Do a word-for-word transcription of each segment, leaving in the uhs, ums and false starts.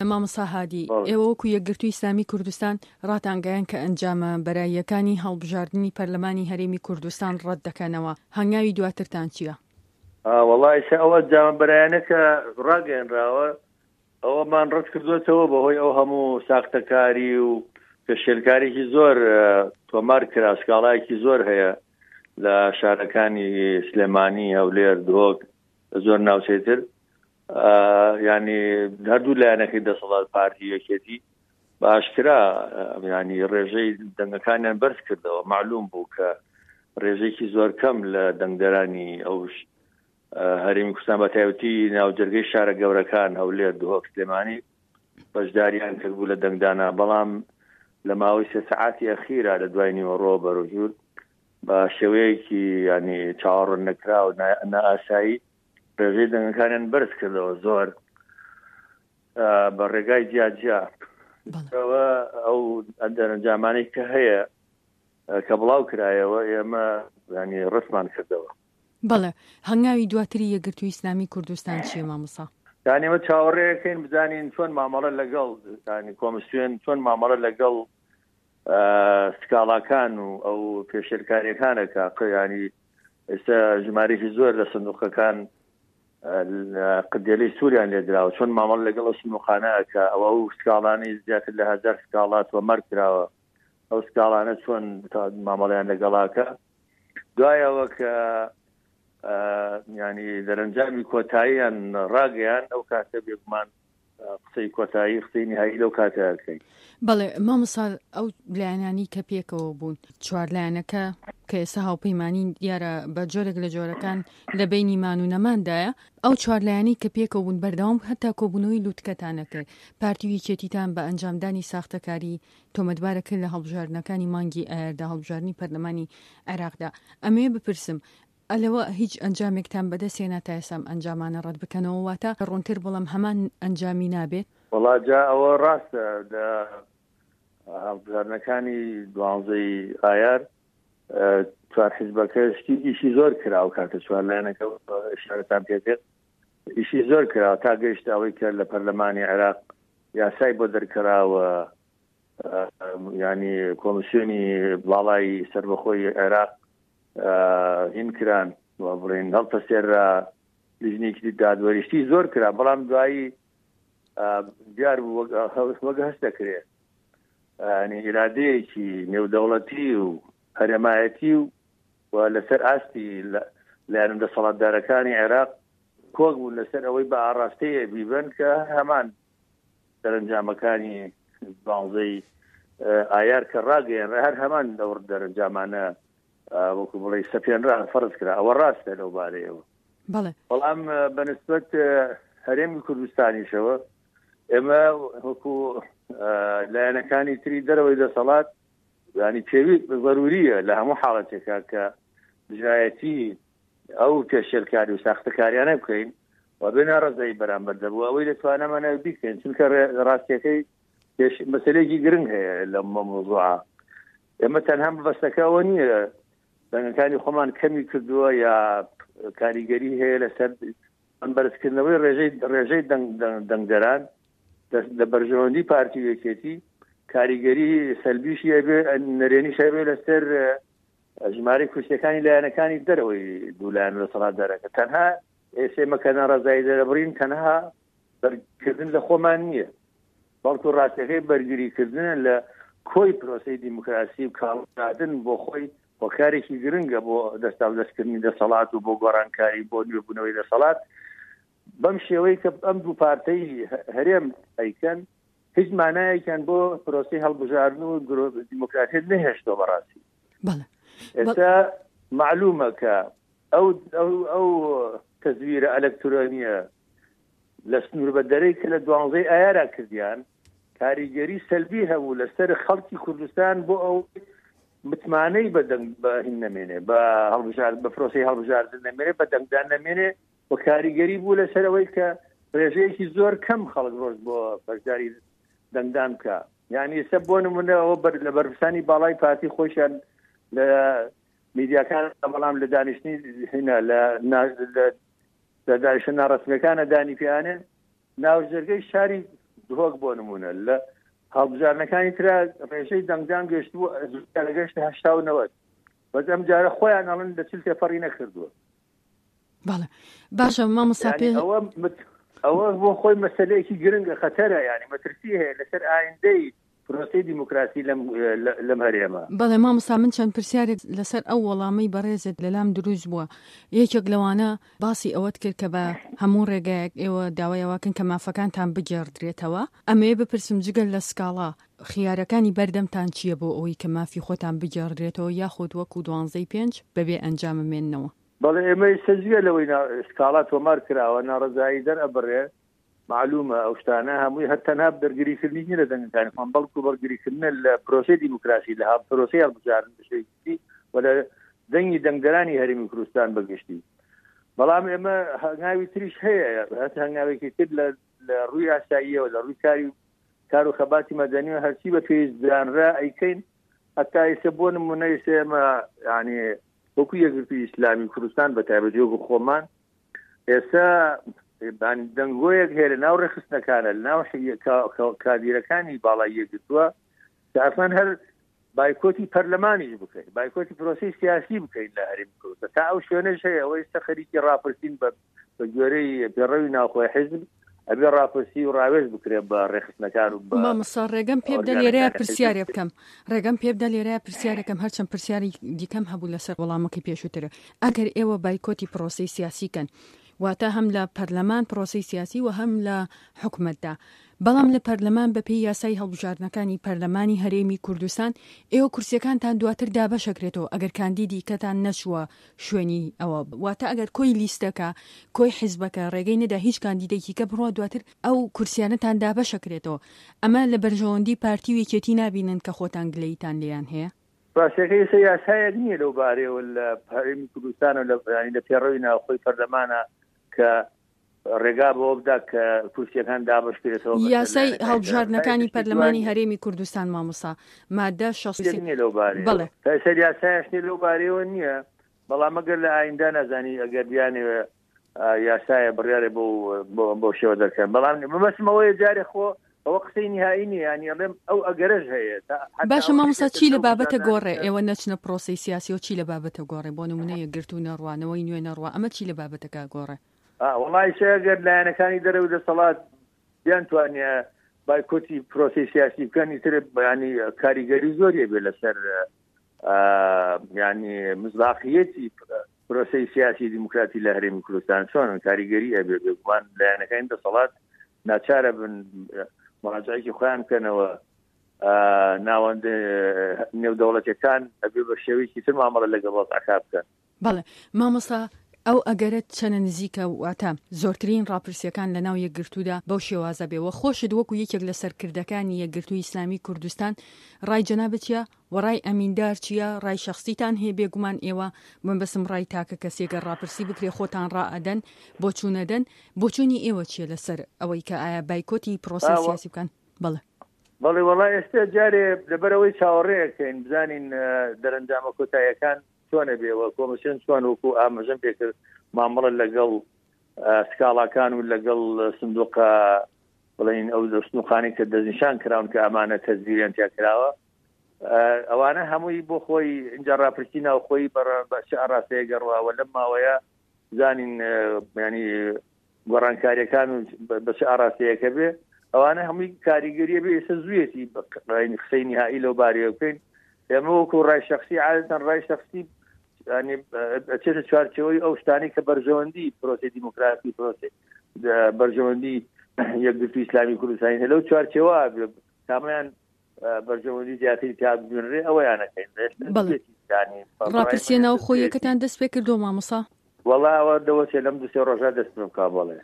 مامۆستا هادی، ئێوە وەکو یەکگرتووی ئیسلامی کوردستان ڕاتانگەیاند کە ئەنجامە بەراییەکانی هەڵبژاردنی پەرلەمانی هەرێمی کوردستان ڕەت دەکەنەوە، هەنگاوی دواترتان چییە؟ وەڵا ئیستا ئەو ئەنجامە بەرایانە کە ڕاگەیەنراوە ئەوەمان ڕەت کردوێتەوە بەهۆی ئەو هەموو ساختەکاری و پێشێلکاریی زۆر تۆمار کرا، سکاڵایەکی زۆر هەیە لە شارەکانی سلێمانی، هەولێر، دهۆک، زۆر ناوچەی تر. ینی هەردوو لایەنەکەی دەسەڵات پارتی یەکێتی باشکرا ینی ڕێژەی دەنگەکانیان بەرز کردەوە. معلوم بوو کە ڕێژەیەکی زۆر کەم لە دەنگدەرانی ئەو هەرێمی کوردستان بە تایبەتی ناوجەرگەی شارە گەورەکان هەولێر، دهۆک، سلێمانی بەشداریان کردبوو لە دەنگدانە، بەڵام لە ماوەی سێ سەعاتی ئەخیرا لە دوای نیوەڕۆ بەرەو ژوور بە شێوەیەکی ینی چاوەڕوان نەکرا و نائاسایی ڕێژەی دەنگەکانیان بەرز کردەوە زۆر بە ڕێگای جیاجیا. ئەوە ئەو دەرەنجامانەی کە هەیە کە بڵاو کرایەوە ئێمە ینی ڕسمان کردەوە. بەڵێ، هەنگاوی دواتری یەکگرتووی ئیسلامی کوردستان چییە مامۆستا؟ یعنی ئێمە چاوەڕێەکەین بزانین چۆن مامەڵە لەگەڵ ینی کۆمسیۆن چۆن مامەڵە لەگەڵ سکاڵاکان و ئەو پێشێلکاریەکانەکە. ینی ئێستا ژمارەیەکی زۆر لە سندوقەکان قدێلەی سووریان لێدراوە، چۆن مامەڵە لەگەڵ ئەو سندوقانەکە، ئەوە ئەو سکاڵانەی زیاتر لە هەزار سکاڵات تۆمار کراوە، ئەو سکاڵانە چۆن مامەڵیان لەگەڵاکە. دوایەوە کە ینی دەرەنجامی کۆتاییان ڕاگەیان ئەو کاتە بێگومان قسەی کۆتایی قسەی نهایی لەو کاتە ئەکەین. بەڵێ مامۆستا، ئەو لایەنانی کە پێکەوە بوون، چوار لایەنەکە کە ئێستا هاوپەیمانی دیارە بە جۆرێک لە جۆرەکان لە بینی مان و نەماندایە، ئەو چوار لایەنەی کە پێکەوە بوون بەردەوام هەتا کۆبوونەوەی لوتکەتان نەکرد، پارتی و یەکێتیتان بە ئەنجامدانی ساختەکاری تۆمەتبارە کرد لە هەڵبژاردنەکانی مانگی ئایاردا، هەڵبژاردنی پەرلەمانی عێراقدا. ئەمەوێ بپرسم ئەلەوە هیچ ئەنجامێکتان بەدەستهێنا تا ئێستا ئەم ئەنجامانە ڕەت بکەنەوە؟ واتە ڕوونتر بڵم هەمان ئەنجامی نابێت؟ وەڵا جا ئەوە ڕاستە لە هەڵبژاردنەکانی دوانزەی ئایار چوار حیزبەکە شتی ئیشی زۆر کرا، ئەو کاتە چوار لایەنەکە ئشارەتان پێکرد ئیشی زۆر کرا تا گەیشت ئەوەی کە لە پەرلەمانی عێراق یاسای بۆ دەرکراوە، ینی کۆمیسیۆنی باڵای سەربەخۆی عێراق هین کران و بڵێن هەڵپەسێرا لیژنێکی دادوەریشتی زۆر کرا، بەڵام دوایی دیار بوو وەک هەست دەکرێت ینی ئیرادەیەکی نێودەوڵەتی و هەرێمایەتی و و لەسەر ئاستی لایەنە دەسەڵاتدارەکانی عێراق کۆک بوون لەسەر ئەوەی بە ئاراستەیە بیبن کە هەمان دەرەنجامەکانی دوانزەی ئایار کە ڕاگەیەنرا هەر هەمان دەور دەرەنجامانە وەکو بڵێ سەپێنرا فەرز کرا. ئەوە ڕاستە لەو بارەیەوە. بەڵێ، بەڵام بەنسبەت هەرێمی کوردستانیشەوە ئێمە وەکو لایەنەکانی تری دەرەوەی دەسەڵات ینی پێویست ضروریە لە هەموو حاڵەتێکا کە دژایەتی ئەو پێشێلکاری و ساختەکاریانە بکەین و بێ ناڕەزایی بەرامبەر دەبوو ئەوەی لە توانامانە بیکەین، چونکە ڕاستیەکەی مەسەلەیەکی گرنگ هەیە لە مەوزوعە. ئێمە تەنها مەبەستەکە ئەوە نییە دەنگەکانی خۆمان کەمی کردووە یا کاریگەری هەیە لەسەر بەرزکردنەوەی ڕێژەی ڕێژەی دەنگدەران لە بەرژەوەندی پارتی و یەکێتی، کاریگەری سەلبیشی هەبێ نەرێنیش هەبێ لەسەر ژمارەی کورسیەکانی لایەنەکانی دەرەوەی دوو لایەن دەسەڵاتدارەکە. تەنها ئێستا ئێمە کە ناڕەزایی دەرەبڕین تەنها بەرگکردن لە خۆمان نییە، بەڵکو ڕاستیەکەی بەرگریکردنە لە کۆی پرۆسەی دیموکراسی و کاڵادن بۆ خۆی هۆکارێکی گرنگە بۆ دەستاودەستکردنی دەسەڵات و بۆ گۆڕانکاری بۆ نوێبوونەوەی دەسەڵات. بەم شێوەی کە ئەم دوو پارتەی هەرێم ئەیکەن هیچ مانایەکیان بۆ پرۆسەی هەڵبژاردن و دیموکراسیەت نەهێشتەوە بەڕاستی. بەڵێ، ئێستا معلومە کە ئەو ئەو ئەو تەزویرە ئەلکترۆنیە لە سنوور بەدەرەی کە لە دوانزەی ئایارا کردیان کاریگەری سەلبی هەبوو لەسەر خەڵکی کوردستان بۆ ئەو متمانەی بە دەنگ بە هین نەمێنێ، بە هەڵبژارد بە پرۆسەی هەڵبژاردن نەمێنێ، بە دەنگدان نەمێنێ و کاریگەری بوو لەسەر ئەوەی کە ڕێژەیەکی زۆر کەم خەڵک ڕۆژ بۆ بەشداری دەنگدان بکە. یعنی ئێستا بۆ نمونە ئەوە لە بەرپرسانی باڵای پارتی خۆشیان لە میدیاکان، بەڵام لە دانیشتنی هینا لە لە دانیشتە ناڕەسمیەکانە دانی پیانێن ناوجەرگەی شاری دهۆک بۆ نمونە لە هەڵبژاردنەکانی ترا ڕێژەی دەنگدان گەشتبوو گەشتە هەشتا و نەوەد، بەس ئەم جارە خۆیان ئەڵێن لە چل تێپەڕی نەکردووە. بەڵێ باشە مامۆستا پێ ئەوە ئەوە بۆ خۆی مەسەلەیەکی گرنگە، خەتەرە، یعنی مەترسی هەیە لەسەر ئایندەی پرۆسەی دیموکراسی لەم لەم هەرێمە. بەڵێ مامۆستا من چەند پرسیارێک لەسەر ئەو وەڵامەی بەڕێزت لەلام دروست بووە. یەکێک لەوانە باسی ئەوەت کرد کە بە هەموو ڕێگایەک ئێوە داوای ئەوەکەن کە مافەکانتان بگێڕدرێتەوە. ئەمەیە بپرسم جگەل لە سکاڵا خیارەکانی بەردەمتان چییە بۆ ئەوەی کە مافی خۆتان بگێڕدرێتەوە یاخود وەکو دوانزەی پێنج بەبێ ئەنجامە مێننەوە؟ بەڵێ ئێمە ئێستا جگە لەوەی سکاڵا تۆمار کراوە، ناڕەزایی دەرئەبڕێ، معلومە ئەو شتانە هەمووی هەر تەنها بەرگریکردنی نییە لە دەنگەکانی خۆمان، بەڵکو بەرگریکردنە لە پرۆسەی دیموکراسی، لە پرۆسەی هەڵبژاردن بە شێوەی گشتی و لە دەنگی دەنگدەرانی هەرێمی کوردستان بەگشتی. بەڵام ئێمە هەنگاوی تریش هەیە، هەر هەنگاوێکی تر لە ڕووی ئاساییەوە، لە ڕووی کاری کار و خەباتی مەدەنیەوە هەرچی بە پێویست زانرا ئەیکەین. هەتا ئێستا بۆ نمونە ئێستا ئێمە یعنی وەکو یەکگرتووی ئیسلامی کوردستان بە تایبەتی وەکو خۆمان ئێستا دەنگۆیەک هەیە لە ناو ڕێکخستنەکانە، لە ناو کادیرەکانی باڵای یەکگرتووە کە ئەسڵەن هەر بایکۆتی پەرلەمانیش بکەین، بایکۆتی پرۆسەی سیاسی بکەین لە هەرێمی کوردستان. تا ئەو شوێنەش هەیە ئەوەی ئێستا خەریکی ڕاپرسین بە گوێرەی پێڕەوی ناوخۆی حیزب ئەبێ ڕاپرسی و ڕاوێژ بکرێت بە ڕێکخستنەکان و بە مامۆستا ڕێگەم پێ بدە لێرەیە پرسیارێ بکەم، ڕێگەم پێ بدە لێرەیە پرسیارێکم، هەرچەند پرسیاری دیکەم هەبوو لەسەر وەڵامەکەی پێشووترە. ئەگەر ئێوە بایکۆتی پرۆسەی سیاسی کەن، واتە هەم لە پەرلەمان پرۆسەی سیاسی و هەم لە حکومەتدا، بەڵام لە پەرلەمان بەپێی یاسای هەڵبژاردنەکانی پەرلەمانی هەرێمی کوردستان ئێوە کورسیەکانتان دواتر دابەشەکرێتەوە ئەگەر کاندیدی کەتان نەچووە شوێنی ئەوە، واتە ئەگەر کۆی لیستەکە کۆی حیزبەکە ڕێگەی نەدا هیچ کاندیدێکی کە بڕوا دواتر ئەو کورسیانەتان دابەشەکرێتەوە. ئەمە لە بەرژەوەندی پارتی و یەکێتی نابینن کە خۆتان گلەیتان لێیان هەیە؟ ڕاستیەکەی ئێستا یاسایەک نییە لەو بارەیەوە لە هەرێمی کوردستان و لە پێڕەوی ناوخۆی پەرلەمانە کە ڕێگا بەوە بدا کە کورسیەکان دابەش کرێتەوە. یاسای هەڵبژاردنەکانی پەرلەمانی هەرێمی کوردستان مامۆستا مادە شەست نییە لەو بارەیەوە. بەڵێ تا ئێستا یاسایش نییە لەو بارەیەوە نییە، بەڵام ئەگەر لە ئایندا نازانی ئەگەر بیانەوێ یاسایە بڕیارێ بۆ بۆ شێوە دەرکەن. بەڵام مەبەستم ئەوەیە جارێ خۆ ئەوە قسەی نهایی نییە، یعنی ئەڵێم ئەو ئەگەرەش هەیە. باشە مامۆستا چی لە بابەتە گۆڕێ ئێوە نەچنە پرۆسەی سیاسی و چی لە بابەتە گۆڕێ؟ بۆ نمونە یەکگرتوو نەڕوانەوەی نوێ نەڕوا، ئەمە چی لە بابەتەکە گۆڕێ؟ وەڵای شێ ئەگەر لایەنەکانی دەرەوەی دەسەڵات بیانتوانیە بایکۆتی پرۆسەی سیاسی بکەن، ئیتر ینی کاریگەری زۆری بێ لەسەر ینی مزداقیەتی پرۆسەی سیاسی دیموکراتی لە هەرێمی کوردستان. چۆنن کاریگەری ئەبێ؟ بێگومان لایەنەکانی دەسەڵات ناچارە بن مراجعێکی خۆیان بکەنەوە، ناوەند نێودەوڵەتەکان ئەبێ بە شێوەیەکی تر مامەڵە لەگەڵ وەزعەکە بکەن. بەڵێ مامۆستا ئەو ئەگەرە چەنە نزیکە، واتە زۆرترین ڕاپرسیەکان لە ناو یەکگرتوودا بەو شێوازە بێ و خۆشت وەکو یەکێک لە سەرکردەکانی یەکگرتووی ئیسلامی کوردستان ڕای جەنابت چییە و ڕای ئەمیندار چییە؟ ڕای شخصیتان هەیە؟ بێگومان ئێوە بەسم ڕای تاکە کەسێکە ڕاپرسی بکرێ خۆتان ڕائەدەن بۆچوونەدەن، بۆچوونی ئێوە چییە لەسەر ئەوەی کە ئایا بایکۆتی پرۆسەی سیاسی بکەن؟ بەڵێ بەڵێ وەڵا ئێستا جارێ لەبەرەوەی چاوەڕێەکەین بزانین دەرەنجامە کۆتاییەکان چۆنە بێەوە، کۆمیسیۆن چۆن وەکو ئاماژەم پێکرد مامەڵە لەگەڵ سکاڵاکان و لەگەڵ سندوقە بڵێن ئەو سندوقانەی کە دەستنیشان کراون کە ئەمانە تەزویریان تیا کراوە، ئەوانە هەمووی بۆ خۆی اینجا ڕاپرسی ناوخۆی بە چ ئاراستەیە گەڕواوە لەم ماوەیە زانین ینی گۆڕانکاریەکان و بە چ ئاراستەیەکە بێ، ئەوانە هەمووی کاریگەریە بێ. ئێستا زوویەتی قسەی نهایی لەو بارەیە بکەین. ئێمە وەکو ڕای شخصی عادەتەن ڕای شخصی ینی ئەچێتە چوارچێوەی ئەو شتانەی کە بەرژەوەندی پرۆسەی دیموکراسی، پرۆسەی بەرژەوەندی یەکگرتووی ئیسلامی کوردستانی لەو چوارچێوە کامیان بەرژەوەندی زیاتری تیا ببینرێ ئەوەیانەکەین. ڕاپرسیە ناوخۆیەکەتان دەست پێ کردو مامۆستا؟ وەڵا ئەوە دەوەچێ لەم دوو سێ ڕۆژە دەست پێ بکا. بەڵێ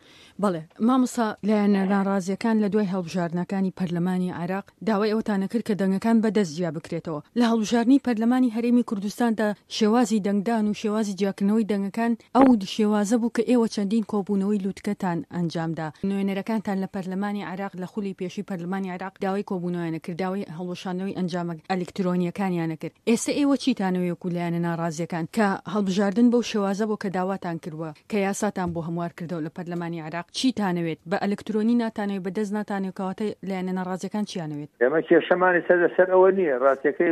بەڵێ مامۆستا لایەنە ناڕازیەکان لە دوای هەڵبژاردنەکانی پەرلەمانی عێراق داوای ئەوەتانە کرد کە دەنگەکان بەدەست جیا بکرێتەوە. لە هەڵبژاردنی پەرلەمانی هەرێمی کوردستاندا شێوازی دەنگدان و شێوازی جیاکردنەوەی دەنگەکان ئەو شێوازە بوو کە ئێوە چەندین کۆبوونەوەی لوتکەتان ئەنجامدا. نوێنەرەکانتان لە پەرلەمانی عێراق لە خولی پێشووی پەرلەمانی عێراق داوای کۆبوونەوەیانە کرد، داوای هەڵوەشاندنەوەی ئەنجامە ئەلکترۆنیەکانیانە کرد. ئێستا ئێوە چیتانەوە وەکو لایەنە ناڕازیەکان کە هەڵبژاردن بەو شێوازە بۆ کە داواتان کردووە کە یاساتان بۆ هەموار کردەوە لە پەرلەمانی عێراق، عێراق چیتانەوێت؟ بە ئەلکترۆنی ناتانەوێت، بە دەست ناتانەوێت، کەواتە لایەنە ناڕازیەکان چیانەوێت؟ ئێمە کێشەمانی سەر لەسەر ئەوە نییە. ڕاستیەکەی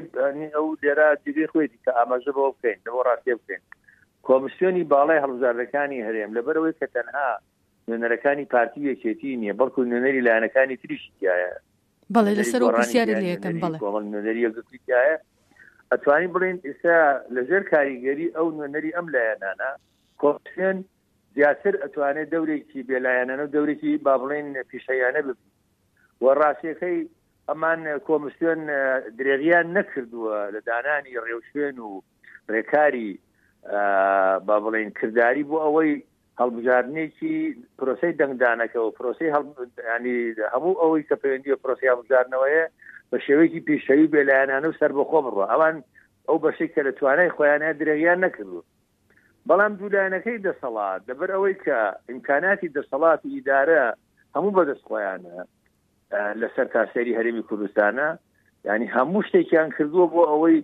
ئەو لێرە جێگەی خۆیەتی کە ئاماژە بەوە بکەین، لەوە ڕاستیە بکەین. کۆمیسیۆنی باڵای هەڵبژاردنەکانی هەرێم لەبەرەوەی کە تەنها نوێنەرەکانی پارتی و یەکێتی نییە، بەڵکو نوێنەری لایەنەکانی تریشی تیایە. بەڵێ لەسەر ئەو پرسیارت لێ یەکەم. بەڵێ کۆمەڵ نوێنەری یەکگرتووی تیایە. ئەتوانین بڵێین ئێستا لەژێر کاریگەری ئەو نوێنەری ئەم لایەنانە کۆمیسیۆن زیاتر ئەتوانێت دەورێکی بێلایەنانە و دەورێکی با بڵێین پیشەیانە ببینێت. و ڕاستیەکەی ئەمان کۆمیسیۆن درێغیان نەکردووە لە دانانی ڕێوشوێن و ڕێکاری با بڵێین کرداری بۆ ئەوەی هەڵبژاردنێکی پرۆسەی دەنگدانەکە و پرۆسەی ینی هەموو ئەوەی کە پەیوەندی بە پرۆسەی هەڵبژاردنەوەیە بە شێوەیەکی پیشەوی بێلایەنانە و سەربەخۆ بڕوە. ئەوان ئەو بەشێک کە لە توانای خۆیانە درێغیان نەکردووە. بەڵام دوولایەنەکەی دەسەڵات لەبەر ئەوەی کە ئیمکاناتی دەسەڵات و ئیدارە هەموو بەدەست خۆیانە لەسەر تاسەری هەرێمی کوردستانە، ینی هەموو شتێکیان کردووە بۆ ئەوەی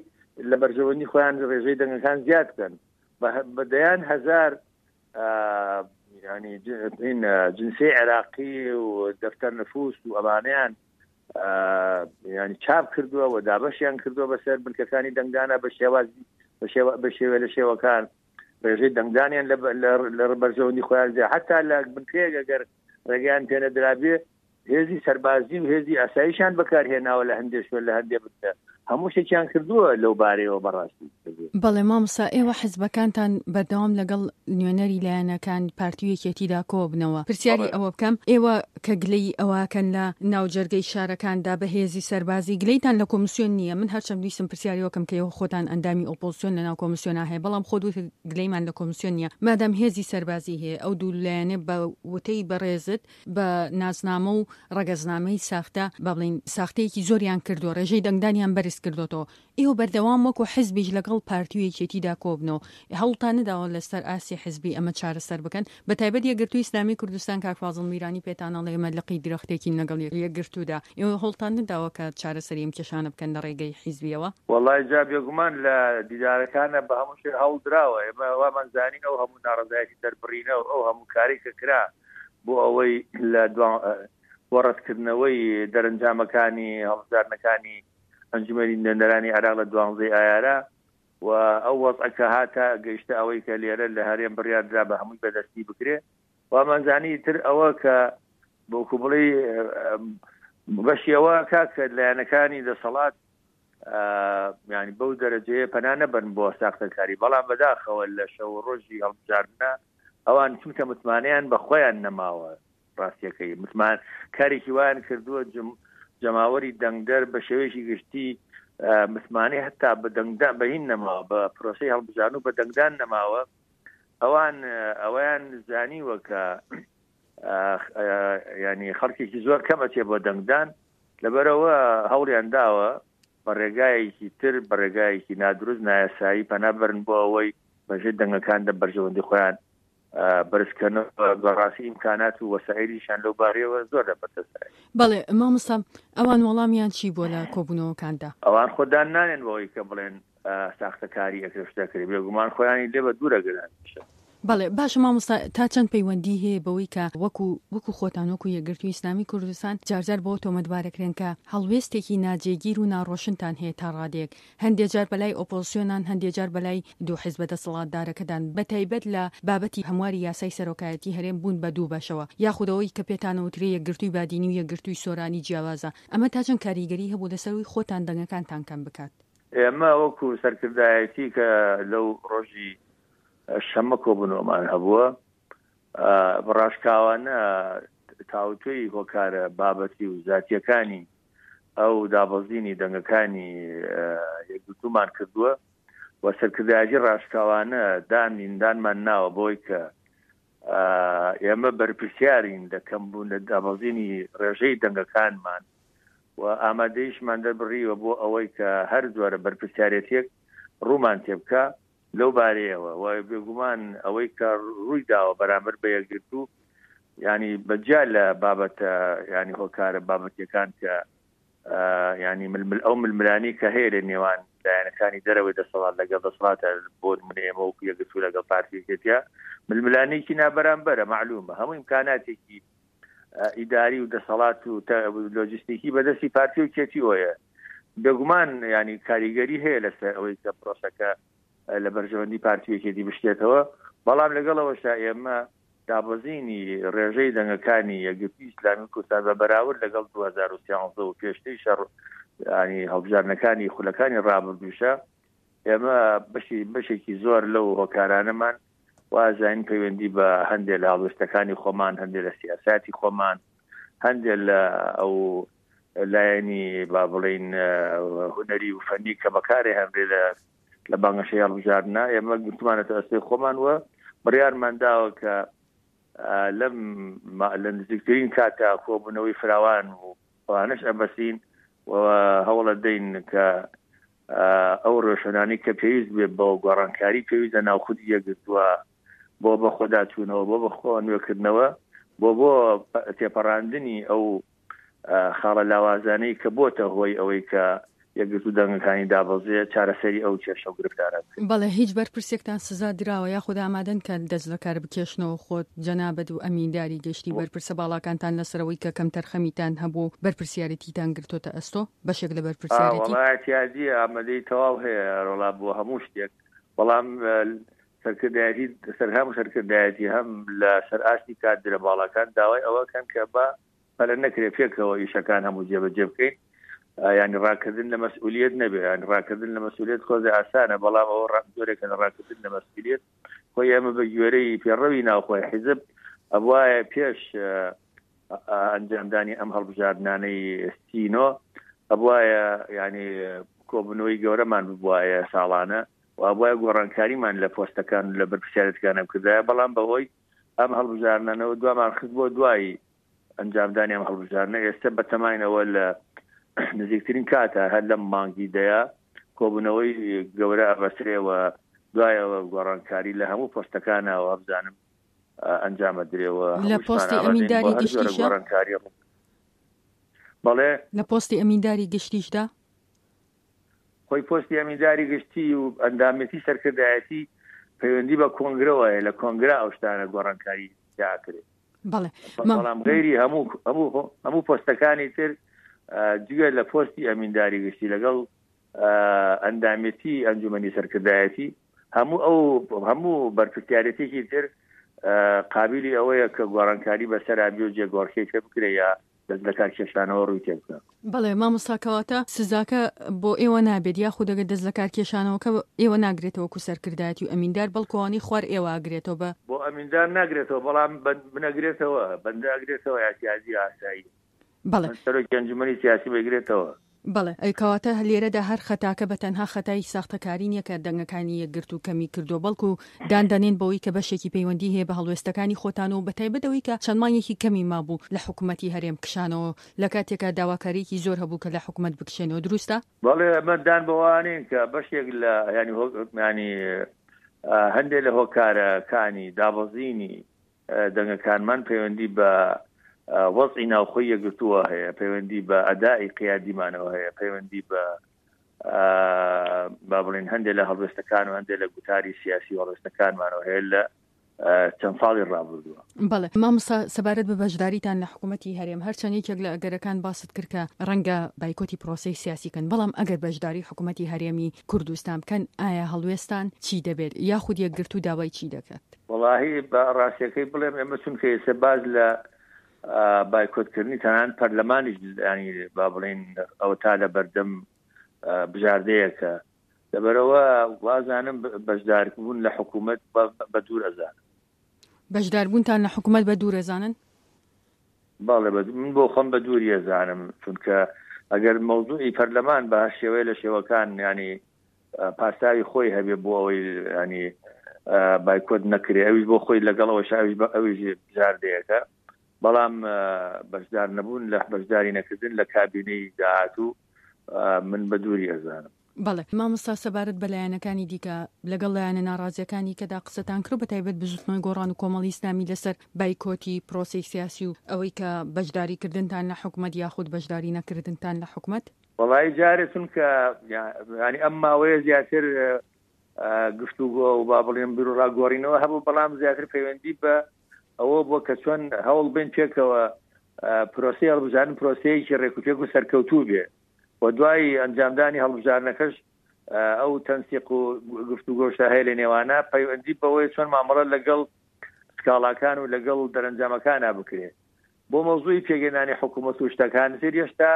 لە بەرژەوەندی خۆیان ڕێژەی دەنگەکان زیاد بکەن. بە دەیان هەزار ینی جنسی عێراقی و دەفتەر نفوس و ئەمانەیان ینی چاپ کردووە و دابەشیان کردووە بەسەر بنکەکانی دەنگدانە بە شێوازی بە شێوە لە شێوەکان ڕێژەی دەنگدانیان لە بەرژەوەندی خۆیان زیاد. حتا لە بنکەیەک ئەگەر ڕێگەیان پێنەدرابێ هێزی سەربازی و هێزی ئاسایشیان بەکارهێناوە لە هەندێک شوێن لە هەندێک بنکە. هەموو شتێکیان کردووە لەو بارەیەوە بەڕاستی. بەڵێ مامۆستا، ئێوە حزبەکانتان بەردەوام لەگەڵ نوێنەری لایەنەکان پارتی و یەکێتیدا کۆبنەوە. پرسیاری ئەوە بکەم، ئێوە کە گلەی ئەوەکەن لە ناوجەرگەی شارەکاندا بە هێزی سەربازی، گلەیتان لە کۆمیسیۆن نییە؟ من هەرچەند ویستم پرسیاری وەکەم کە ئێوە خۆتان ئەندامی ئۆپۆزیسیۆن لەناو کۆمیسیۆنا هەیە، بەڵام خۆت وتت گلەیمان لە کۆمیسیۆن نییە. مادام هێزی سەربازی هەیە، ئەو دوو لایەنە بە وتەی بەڕێزت بە نازنامە و ڕەگەزنامەی ساختە، با بڵێین ساختەیەکی زۆریان کردووە، ڕێژەی دەنگدانیان بەرز کردوێتەوە. ئێوە بەردەوام وەکو حزبیش لەگەڵ پارتی و یەکێتیدا کۆبنەوە، هەوڵتان نەداوە لەسەر ئاستی حزبی ئەمە چارەسەر بکەن؟ بە تایبەت یەکگرتووی ئیسلامی کوردستان کاک فازڵ میرانی پێتان ئەڵێ ئێمە لقی درەختێکین لەگەڵ یەکگرتوودا. ئێوە هەوڵتان نەداوە کە چارەسەری ئەم کێشانە بکەن لە ڕێگەی حیزبیەوە؟ وەڵای جا بێگومان لە دیدارەکانە بە هەموو شێ هەوڵ دراوە. ئێمە وامان زانی ئەو هەموو ناڕەزایەتی دەربڕینە و ئەو هەموو کاری کە کرا بۆ ئەوەی لە بۆ ڕەتکردنەوەی دەرەنجامەکانی هەڵبژاردنەکانی ئەنجومەنی نوێنەرانی عێراق لە دوانزەی ئایارە و ئەو وەزعە هاتە گەیشتە ئەوەی کە لێرە لە هەرێم بڕیاردرا بە هەمووی بەدەستی بکرێ. وامانزانی تر ئەوە کە بۆکو بڵێ بەشی ئەوە کا کە لایەنەکانی دەسەڵات ینی بەو دەرەجەیە پەنا نەبن بۆ ساختەکاری، بەڵام بەداخەوە لە شەو ڕۆژی هەڵبژاردنە ئەوان چونکە متمانەیان بە خۆیان نەماوە. ڕاستیەکەی متمان کارێکی وایان کردووە جەماوەری دەنگدەر بە شێوەیەکی گشتی متمانەی هەتا بە دەنگدان بەهین نەماوە، بە پرۆسەی هەڵبژاردن و بە دەنگدان نەماوە. ئەوان ئەویان زانیوە کە ینی خەڵکێکی زۆر کەم ئەچێ بۆ دەنگدان، لەبەرەوە هەوڵیان داوە بە ڕێگایەکی تر، بە ڕێگایەکی نادروست نایاسایی پەنا بەرن بۆ ئەوەی بەژێ دەنگەکان دە بەرژەوەندی خۆیان بەرزکەنەوە. بەڕاستی ئیمکانات و وەسائلیشان لەو بارەیەوە زۆر لە بەردەستایە. بەڵێ مامۆستا، ئەوان وەڵامیان چی بووە لە کۆبوونەوەکاندا؟ ئەوان خۆدان نانێن بەوەی کە بڵێن ساختەکاری ئەکرێ شتەکرێ، بێگومان خۆیانی لێ بە دوورەگرن. بەڵێ باشە مامۆستا، تا چەند پەیوەندی هەیە بەوەی کە وەکو وەکو خۆتان وەکو یەکگرتووی ئیسلامی کوردستان جارجار بۆ تۆمەتبارەکرێن کە هەڵوێستێکی ناجێگیر و ناڕۆشنتان هەیە تا ڕادەیەک، هەندێک جار بەلای ئۆپۆزیسیۆنان، هەندێک جار بەلای دوو حیزبە دەسەڵاتدارەکەدان، بە تایبەت لە بابەتی هەمواری یاسای سەرۆکایەتی هەرێم بوون بە دوو بەشەوە، یاخودەوەی کە پێتانەوترێ یەکگرتووی بادینی و یەکگرتووی سۆرانی جیاوازە. ئەمە تا چەند کاریگەری هەبوو لەسەروی خۆتان دەنگەکانتان کەم بکات؟ ئێمە وەکو سەرکردایەتی کە لەو ڕۆژی شەممە کۆبوونەوەمان هەبووە، بەڕاشکاوانە تاوتوێی هۆکارە بابەتی و زاتیەکانی ئەو دابەزینی دەنگەکانی یەکگرتوومان کردووە و سەرکردایەتی ڕاشکاوانە دانین دانمان ناوە بۆی کە ئێمە بەرپرسیارین لە کەمبوون لە دابەزینی ڕێژەی دەنگەکانمان و ئامادەیشمان دەربڕیوە بۆ ئەوەی کە هەر جۆرە بەرپرسیارێتێک ڕوومان تێبکە لەو بارەیەوە. و بێگومان ئەوەی کە ڕووی داوە بەرامبەر بە یەکگرتوو، ینی بەجیا لە بابەتە ینی هۆکارە بابەتیەکان کە ینی ململ ئەو ململانی کە هەیە لە نێوان لایەنەکانی دەرەوەی دەسەڵات لەگەڵ دەسەڵاتە، بۆ نمونە ئێمە وەکو یەکگرتوو لەگەڵ پارتی یەکێتیە ململانێکی نابەرامبەرە، معلومە هەموو ئیمکاناتێکی ئیداری و دەسەڵات و لۆجستیکی بەدەستی پارتی و یەکێتیەوەیە. بێگومان ینی کاریگەری هەیە لەسەر ئەوەی کە پرۆسەکە لە بەرژەوەندی پارتی یەکێتی بشتێتەوە، بەڵام لەگەڵەوەشا ئێمە دابەزینی ڕێژەی دەنگەکانی یەکگرتووی ئیسلامی کوردستان بە بەراورد لەگەڵ دوو هەزار و سیانزە و پێشتری شەڕ ینی هەڵبژاردنەکانی خولەکانی ڕابردووشە، ئێمە بەشی بەشێکی زۆر لەو هۆکارانەمان وازانین پەیوەندی بە هەندێک لە هەڵوێستەکانی خۆمان، هەندێک لە سیاساتی خۆمان، هەندێک لە ئەو لایەنی با بڵین هونەری و فەنی کە بەکارێ هەندێک لە لە بانگەشەی هەڵبژاردنە ئێمە گرتومانەتە ئەستۆی خۆمان وە بڕیارمان داوە کە لەم لە نزیکترین کاتە کۆبوونەوەی فراوان و ئەوانەش ئەبەسین و هەوڵە دەین کە ئەو ڕێوشوێنانەی کە پێویست بێ بۆ گۆڕانکاری پێویستە ناوخودی یەکگرتووە بۆ بە خۆداچوونەوە، بۆ بە خۆ نوێکردنەوە، بۆ بۆ تێپەڕاندنی ئەو خاڵە لاوازانەی کە بۆتە هۆی ئەوەی کە یەکگرتوو دەنگەکانی دابەزێ، چارەسەری ئەو کێشە و گرفتارە بکەین. بەڵێ، هیچ بەرپرسێکتان سزا دراوە یاخود ئامادەن کە دەست لەکار بکێشنەوە؟ خۆت جەنابەت و ئەمینداری گشتی بەرپرسە باڵاکانتان لەسەرەوەی کە کەمتەرخەمیتان هەبوو بەرپرسیارەتیتان گرتۆتە ئەستۆ، بەشێک لە بەرپرسیارەتی؟ وەڵا اعتیادی ئامادەی تەواو هەیە ڕۆڵا بۆ هەموو شتێک، بەڵام سەرکردایەتی سەر هەموو سەرکردایەتی هەم لە سەر ئاستی کادرە باڵاکان داوای ئەوە کەن کە بە پەلە نەکرێت پێکەوە ئیشەکان هەموو جێبەجێ بکەین، ینی ڕاکردن لە مەسئولیت نەبێ، ینی ڕاکردن لە مەسئولیت خۆزە ئاسانە، بەڵام ئەوە جۆرێکە لە ڕاکردن لە مەسئولیت خۆی ئێمە بە گوێرەی پێڕەوی ناوخۆی حیزب ئەبوایە پێش ئەنجامدانی ئەم هەڵبژاردنانەی سینۆ ئەبوایە ینی کۆبوونەوەی گەورەمان ببوایە ساڵانە و ئەبوایە گۆڕانکاریمان لە پۆستەکان لە بەرپرسیارەتەکانە بکردایە، بەڵام بەهۆی ئەم هەڵبژاردنانەوە دوامان خست بۆ دوای ئەنجامدانی ئەم هەڵبژاردنە. ئێستا بەتەماینەوە لە نزیکترین کاتە هەر لەم مانگی دەیە کۆبوونەوەی گەورە ئەبەسرێەوە، دوایەوە گۆڕانکاری لە هەموو پۆستەکانەوە بزانم ئەنجامە درێەوە. لە پۆستی ئەمینداری گشتیشدا؟ گۆڕانکاری بەڵێ، لە پۆستی ئەمینداری گشتیشدا؟ خۆی پۆستی ئەمینداری گشتی و ئەندامێتی سەرکردایەتی پەیوەندی بە کۆنگرەوە هەیە، لە کۆنگرا ئەو شتانە گۆڕانکاری داکرێت. بەڵێ، بەڵام غەیری هەموو هەموو هەموو پۆستەکانی تر جگە لە پۆستی ئەمینداری گشتی لەگەڵ ئەندامێتی ئەنجومەنی سەرکردایەتی هەموو ئەو هەموو بەرپرسیارەتێکی تر قابلی ئەوەیە کە گۆڕانکاری بەسەر ئابی و جێگۆڕکێ پێ بکرێ یا دەست لەکار کێشانەوە ڕووی تێ بکە. بەڵێ مامۆستا، کەواتە سزاکە بۆ ئێوە نابێت یاخود ئەگەر دەست لەکار کێشانەوەکە ئێوە ناگرێتەوە وەکو سەرکردایەتی و ئەمیندار، بەڵکو ئەوانەی خوار ئێوە ئاگرێتەوە بە بۆ ئەمیندار ناگرێتەوە، بەڵام بنەگرێتەوە، بەندە ئەگرێتەوە اعتیادی ئاسایی. بەڵێ، سەرۆکی ئەنجومەنی سیاسی بەگرێتەوە. بەڵێ، کەواتە لێرەدا هەر خەتاکە بە تەنها خەتای ساختەکاری نییە کە دەنگەکانی یەکگرتوو کەمی کردووە، بەڵکو دان دەنێن بەوەی کە بەشێکی پەیوەندی هەیە بە هەڵوێستەکانی خۆتان و بەتایبەت ئەوەی کە چەند مانگێکی کەمی مابوو لە حکوومەتی هەرێم کشانەوە لە کاتێکا داواکاریەکی زۆر هەبوو کە لە حکوومەت بکشێنەوە، دروستە؟ بەڵێ، ئەمە دان بەوانین کە بەشێک لە ینی ینی هەندێک لە هۆکارەکانی دابەزینی دەنگەکانمان پەیوەندی بە وەزعی ناوخۆی یەکگرتووە هەیە، پەیوەندی بە ئەدای قیادیمانەوە هەیە، پەیوەندی بە با بڵێن هەندێک لە هەڵوێستەکان و هەندێک لە گوتاری سیاسی و هەڵوێستەکانمانەوە هەیە لە چەند ساڵی ڕابردووە. بەڵێ مامۆستا، سەبارەت بە بەشداریتان لە حکوومەتی هەرێم، هەرچەند یەکێک لە ئەگەرەکان باست کرد کە ڕەنگە بایکۆتی پرۆسەی سیاسی کەن، بەڵام ئەگەر بەشداری حکوومەتی هەرێمی کوردستان بکەن ئایا هەڵوێستان چی دەبێت یاخود یەکگرتوو داوای چی دەکات؟ وەڵاهی بە ڕاستیەکەی بڵێم ئێمە چونکە ئێستا باز لە بایکۆتکردنی تەنان پەرلەمانیش ینی با بڵین ئەوە تا لە بەردەم بژاردەیەکە، لەبەرەوە وازانم بەشداربوون لە حکوومەت بە دوور ئەزانم. بەشداربوونتان لە حکوومەت بە دوور ئەزانن؟ بەڵێ، من بۆ خۆم بە دووری ئەزانم، چونکە ئەگەر مەوزوعی پەرلەمان بە هەر شێوەیە لە شێوەکان ینی پاساوی خۆی هەبێ بۆ ئەوەی ینی بایکۆت نەکرێ، ئەویش بۆ خۆی لەگەڵەوەش ئەویش ئەویش بژاردەیەکە، بەڵام بەشدار نەبوون لە بەشداری نەکردن لە کابینەی داهاتوو من بە دووری ئەزانم. بەڵێ مامۆستا، سەبارەت بە لایەنەکانی دیکە، لەگەڵ لایەنە ناڕازییەکانی کەدا قسەتان کرد، بە تایبەت بزوتنەوەی گۆڕان و کۆمەڵی ئیسلامی لەسەر بایکۆتی پرۆسەی سیاسی و ئەوەی کە بەشداریکردنتان لە حکومەت یاخود بەشداری نەکردنتان لە حکومەت؟ وەڵایی جارێ چونکە یانی ئەم ماوەیە زیاتر گفتوگۆ و با بڵێم بیروڕا گۆڕینەوە هەبوو، بەڵام زیاتر پەیوەندی بە ئەوە بووە کە چۆن هەوڵ بین پێکەوە پرۆسەی هەڵبژاردن پرۆسەیەکی ڕێکوپێک و سەرکەوتوو بێ و دوای ئەنجامدانی هەڵبژاردنەکەش ئەو تەنسیق و گفتوگۆشە هەیە لە نێوانە پەیوەندی بەوەی چۆن مامەڵە لەگەڵ سکاڵاکان و لەگەڵ دەرەنجامەکانە بکرێ. بۆ مەوزوعی پێگەنانی حکوومەت و شتەکان تر هێشتا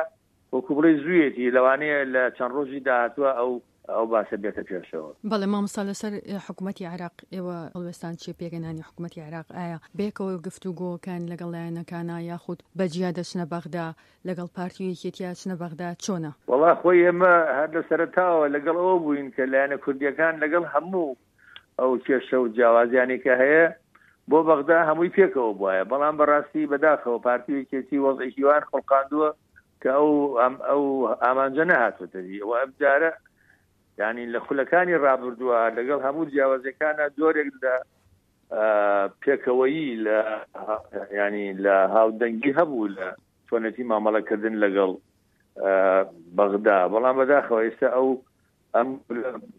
وەکو بڵێ زوویەتی، لەوانەیە لە چەند ڕۆژی داهاتووە ئەو ئەو باسە بێتە پێشەوە. بەڵێ مامۆستا، لەسەر حکوومەتی عێراق ئێوە هەڵوێستان چیە؟ پێگەنانی حکوومەتی عێراق ئایا بێکەوە گفتوگۆکان لەگەڵ لایەنەکانە یاخود بەجیا دەچنە بەغدا، لەگەڵ پارتی و یەکێتیا چنە بەغدا، چۆنە؟ وەڵا خۆی ئێمە هەر لە سەرەتاوە لەگەڵ ئەوە بووین کە لایەنە کوردیەکان لەگەڵ هەموو ئەو کێشە و جیاوازیانی کە هەیە بۆ بەغدا هەمووی پێکەوە بواە، بەڵام بەڕاستی بەداخەوە پارتی و یەکێتی وەزعێکی وان خوڵقاندووە کە ئەو ئەو ئامانجە نەهاتووەتە دی. و ئەم جارە یعنی لە خولەکانی ڕابردووە لەگەڵ هەموو جیاوازیەکانە جۆرێک لە پێکەوەیی لە ینی لە هاودەنگی هەبوو لە چۆنێتی مامەڵەکردن لەگەڵ بەغدا، بەڵام بەداخەوە ئێستا ئەو ئەم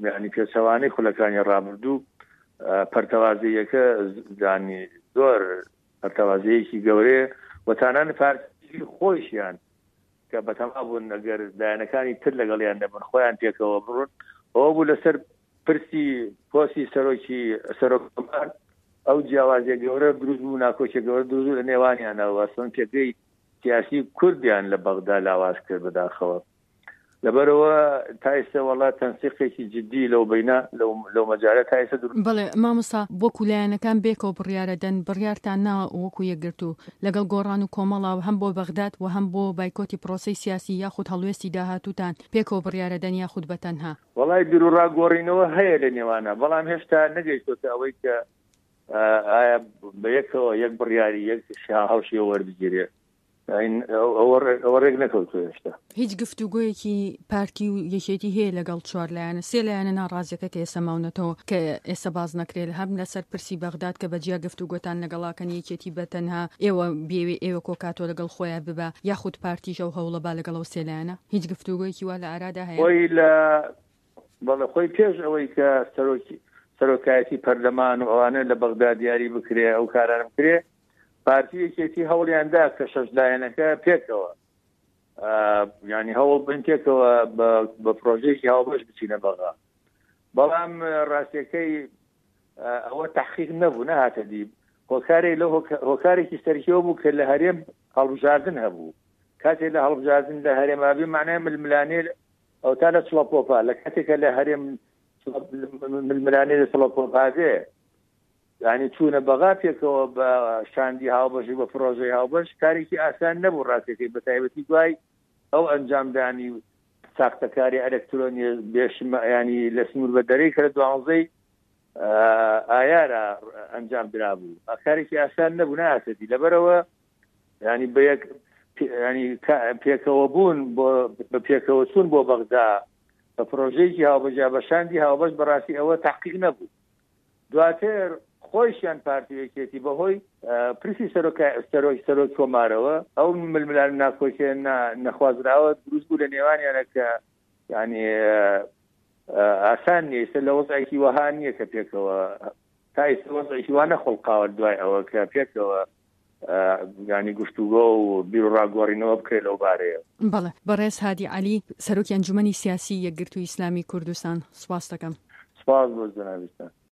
ینی پێچەوانەی خولەکانی ڕابردوو پەرتەوازییەکە ینی زۆر پەرتەوازییەکی گەورەیە و تانان پارتی خۆیشیان کە بەتەما بوون ئەگەر لایەنەکانی تر لەگەڵیان نەبن خۆیان پێکەوە بڕون، ئەوە بوو لەسەر پرسی پۆستی سەرۆکی سەرۆک کۆمار ئەو جیاوازیە گەورە دروست بوو، ناکۆکیە گەورە دروست بوو لە نێوانیانەوە، ئەسڵەن پێگەی سیاسی کوردیان لە بەغدا لاواز کرد بەداخەوە. لەبەرەوە تا ئێستا وەڵا تەنسیقێکی جدی لەو بینە لەو مەجالە تا ئێستا دروست. بەڵێ مامۆستا، وەکو لایەنەکان بێکەوە بڕیارە دەن، بڕیارتان نا وەکو یەکگرتوو لەگەڵ گۆڕان و کۆمەڵە هەم بۆ بەغداد و هەم بۆ بایکۆتی پرۆسەی سیاسی یاخود هەڵوێستی داهاتووتان پێکەوە بڕیارە دەن یاخود بە تەنها؟ وەڵای بیروڕا گۆڕینەوە هەیە لە نێوانە، بەڵام هێشتا نەگەیشتۆتە ئەوەی کە ئایا بە یەکەوە یەک بڕیاری یەک هاوشێوە وەربگیرێ، ئەوە ڕێک نەکەوتووە هێشتا. هیچ گفتوگۆیەکی پارتی و یەکێتی هەیە لەگەڵ چوار لایەنە سێ لایەنە ناڕازیەکە کە ئێستا ماونەتەوە کە ئێستا باز نەکرێت، هەم لەسەر پرسی بەغداد کە بەجیا گفتوگۆتان لەگەڵاکەن، یەکێتی بە تەنها ئێوە بێوێ ئێوە کۆکاتۆ لەگەڵ خۆیان ببا یاخود پارتیش ئەو هەوڵە با لەگەڵ ئەو سێ لایەنە، هیچ گفتوگۆیەکی وا لە ئارادا هەیە؟ خۆی لە بەڵێ، خۆی پێش ئەوەی کە سەرۆکی سەرۆکایەتی پەرلەمان و ئەوانە لە بەغدا دیاری بکرێ ئەو کارانە بکرێ، پارتی یەکێتی هەوڵیان دا کە شەش لایەنەکە پێکەوە ینی هەوڵ بن پێکەوە بە پرۆژەیەکی هاوبەش بچینە بەغا، بەڵام ڕاستیەکەی ئەوە تحقیق نەبوو، نەهاتە دی. هۆکارێک لە هۆکارێکی سەرکیەوە بوو کە لە هەرێم هەڵبژاردن هەبوو. کاتێک لە هەڵبژاردن لە هەرێمابی معنای ململانێ ئەو تا لە چڵەپۆپا، لە کاتێکە لە هەرێم ململانێ لە چڵەپۆپا بێ، ینی چوونە بەغا پێکەوە بە شاندی هاوبەش و بە پرۆژەی هاوبەش کارێکی ئاسان نەبوو ڕاستەکەی، بە تایبەتی دوای ئەو ئەنجامدانی ساختەکاری ئەلکترۆنی بێشمە ینی لە سنوور بە دەرەی کە لە دوانزەی ئایارە ئەنجام درابوو، کارێکی ئاسان نەبوو، نەهاتەدی. لەبەرەوە ینی بە یەک ینی پێکەوە بوون بۆ بە پێکەوە چوون بۆ بەغدا بە پرۆژەیەکی هاوبەش یا بە شاندی هاوبەش بەڕاستی ئەوە تحقیق نەبوو. دواتر خۆیشیان پارتی یەکێتی بەهۆی پرسی سەرۆک سەرۆک سەرۆک کۆمارەوە ئەو ململان ناکۆکیە نەخوازراوە دروست بوو لە نێوانیانە کە ینی ئاسان نییە ئێستا لە وەزعێکی وەها نییە کە پێکەوە تا ئێستا وەزعێکی وا نەخوڵقاوە دوای ئەوە کە پێکەوە ینی گفتوگۆ و بیروڕاگۆڕینەوە بکرێت لەو بارەیە. بەڵێ بەڕێز هادی عەلی، سەرۆکی ئەنجومەنی سیاسی یەکگرتووی ئیسلامی کوردستان، سوپاس دەکەم. سپاس بۆ جەنابیتان.